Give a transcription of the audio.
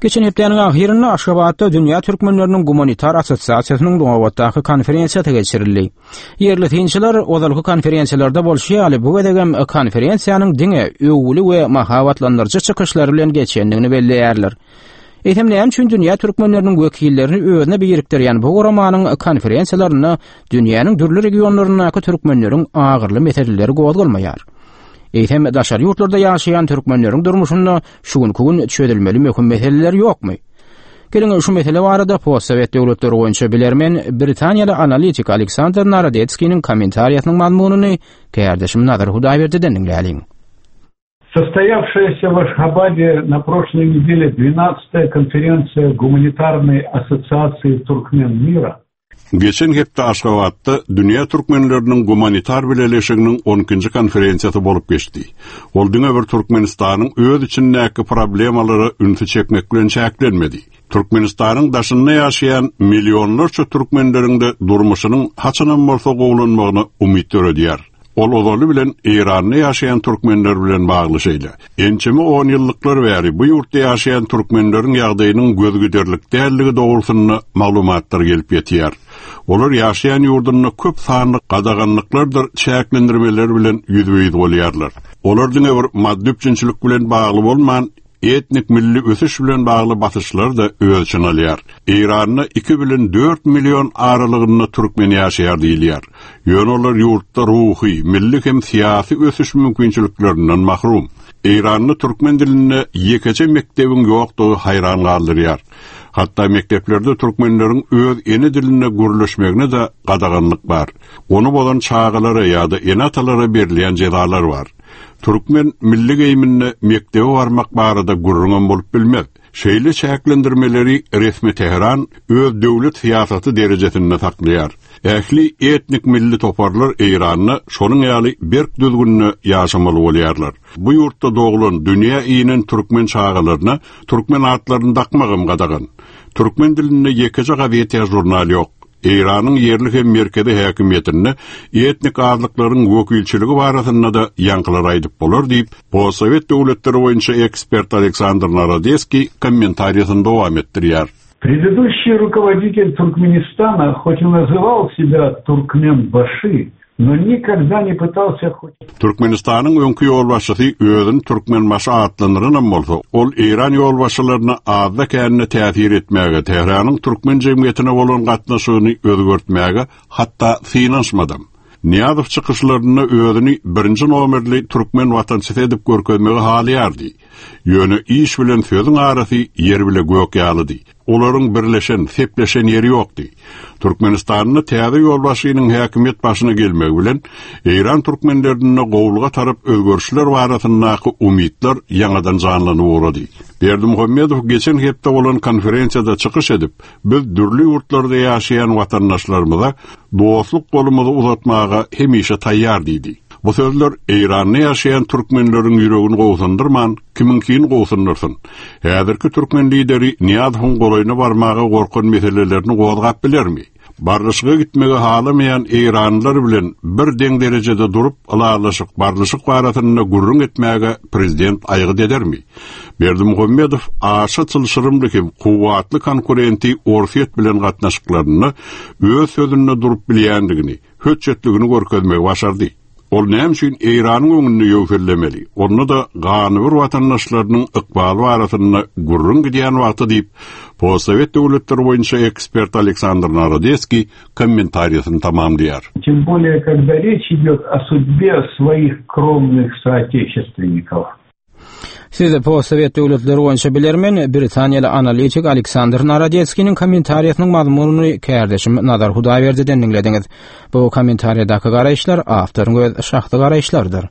Geçen hepdäniň ahyrynda Aşgabatda Dünýä türkmenleriniň gumanitar assosiasiýasynyň nobatdaky konferensiýasy geçirildi. Ýerli synçylar ozalky konferensiýalarda bolşy ýaly bu gezegem konferensiýanyň diňe öwgüli we mahabatlandyryjy çykyşlar bilen geçendigini belleýärler. Eýsem näme üçin dünýä türkmenleriniň wekillerini özüne birikdirýän bu guramanyň konferensiýalarynda dünýäniň dürli regionlaryndaky türkmenleriň agyrly meseleleri gozgalmaýar? Eýsem daşary ýurtlarda ýaşaýan türkmenleriň durmuşynda şu günki gün çözülmeli möhüm meseleler ýokmy? Geliň şu mesele barada postsowet döwletleri boýunça bilermen britaniýaly analitik Aleksandr Narodetskiniň kommentariýasynyň mazmunyny kärdeşim Nazar Hudaýberdiden diňläliň. Состоявшаяся в Ашхабаде на прошлой неделе 12-я конференция Гуманитарной ассоциации туркмен мира Geçen hepde Aşgabatda Dünýä türkmenleriniň gumanitar bileleşiginiň on ikinji konferensiýasy bolup geçdi. Ol diňe bir Türkmenistanyň öz içindäki problemalara ünsi çekmek bilen çäklenmedi. Türkmenistanyň daşynda ýaşaýan millionlarça türkmenleriň-de durmuşynyň haçanam bolsa gowulanmagyna umyt döredýär. Ol ozaly bilen Eýranda ýaşaýan türkmenler bilen bagly şeýle. Ençeme onýyllyklar bäri bu ýurtda ýaşaýan türkmenleriň ýagdaýynyň gözgiderlik däldigi dogrusynda maglumatlar gelip ýetýär. Olar ýaşaýan ýurdunda köp sanly gadaganlyklardyr çäklendirmeler bilen ýüzbe-ýüz bolýarlar. Olar diňe bir maddy üpjünçilik bilen bagly bolman, Etnik milli ösüş bilen bagly basyşlary-da öz içine alýar. Eýranda iki bilen dört million aralygynda türkmen ýaşaýar diýilýär. Ýöne olar ýurtda ruhy, milli hem syýasy ösüş mümkinçiliklerinden mahrum. Eýranda türkmen dilinde ýekeje mekdebiň ýokdugy haýran galdyrýar. Hatda mekdeplerde türkmenleriň öz ene dilinde gürleşmegine-de gadaganlyk bar. Ony bozan çagalara ýa-da ene-atalara berilýän jezalar bar. Türkmen milli geýiminde mekdebe barmak barada gürrüňem bolup bilmez. Şeýle çäklendirmeleri resmi Tähran öz döwlet syýasaty derejesinde saklaýar. Ähli etnik milli toparlar Eýranda şonuň ýaly berk düzgünde ýaşamaly bolýarlar. Bu ýurtda doglan, dünýä inen türkmen çagalaryna türkmen atlaryny dakmagam gadagan. Türkmen dilinde ýekeje gazet ýa žurnal ýok. Eýranyň ýerli hem merkezi häkimiýetinde etnik azlyklaryň wekilçiligi barasynda-da ýaňkylary aýdyp bolar diýip, postsowet döwletleri boýunça ekspert Aleksandr Narodeskiý kommentariýasyny dowam etdirýär. Предыдущий руководитель Туркменистана хоть и называл себя Туркменбаши, No nikogda ne pytalsya hoç. Türkmenistanyň öňki ýolbaşçysy özüni Türkmenbaşy atlandyranam bolsa, ol Eýran ýolbaşçylaryna azda-kände täsir etmäge, Tähranyň türkmen jemgyýetine bolan gatnaşygyny özgertmäge hatda synanyşmadam. Nyýazow çykyşlarynda özüni birinji nomerli türkmen watançysy edip görkezmegi halaýardy. Ýöne iş bilen sözüň arasy ýer bile gök ýalydy. Olaryň birleşen, sepleşen ýeri ýokdy. Türkmenistanda täze ýolbaşçynyň häkimiýet başyna gelmegi bilen, Eýran türkmenlerinde gowulyga tarap özgerişler barasyndaky umytlar ýaňadan janlanyp ugrady. Berdimuhamedow geçen hepde bolan konferensiýada çykyş edip, Biz dürli ýurtlarda ýaşaýan watandaşlarymyza dostluk golumyzy uzatmaga hemişe taýýar diýdi. Bu sözler Eýranda ýaşaýan türkmenleriň ýüregini gobsundyrman, kimiňkini gobsundyrsyn? Häzirki türkmen lideri Nyýazowyň golaýyna barmaga gorkan meselelerini gozgap bilermi? Barlyşyga gitmegi halamaýan eýranlylar bilen bir deň derejede durup, ylalaşyk, barlyşyk barasynda gürrüň etmäge prezident aýgyt edermi? Berdimuhamedow aşa çylşyrymly hem kuwwatly konkurenti Orsýet bilen gatnaşyklarynda öz sözünde durup bilýändigini, hötjetligini görkezmegi başardy. Ol näme üçin Eýranyň öňünde ýöwsellemeli, onda-da ganybir watandaşlarynyň ykbaly barasynda gürrüň gidýän wagty diýip, postsowet döwletleri boýunça ekspert Aleksandr Narodeskiý kommentariýasyny tamamlaýar. Тем более, когда речь идет о судьбе своих кровных соотечественников. Siz postsowet döwletleri boýunça bilermen britaniýaly analitik Aleksandr Narodetskiniň kommentariýasynyň mazmunyny kärdeşim Nazar Hudaýberdiden diňlediňiz. Bu kommentariýadaky garaýyşlar awtoryň öz şahsy garaýyşlarydyr.